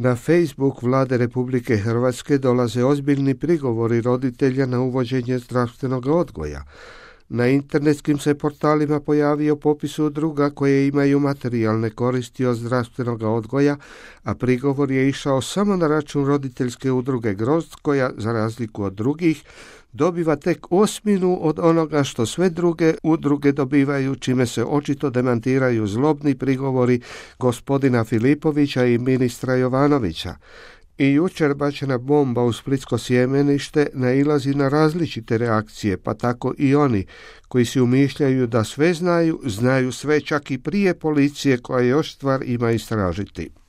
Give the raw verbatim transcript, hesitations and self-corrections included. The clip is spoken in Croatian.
Na Facebook Vlade Republike Hrvatske dolaze ozbiljni prigovori roditelja na uvođenje zdravstvenog odgoja. Na internetskim se portalima pojavio popis udruga koje imaju materijalne koristi od zdravstvenog odgoja, a prigovor je išao samo na račun roditeljske udruge Grozd, koja, za razliku od drugih, dobiva tek osminu od onoga što sve druge udruge dobivaju, čime se očito demantiraju zlobni prigovori gospodina Filipovića i ministra Jovanovića. I jučer bačena bomba u splitsko sjemenište nailazi na različite reakcije, pa tako i oni koji si umišljaju da sve znaju, znaju sve čak i prije policije koja još stvar ima istražiti.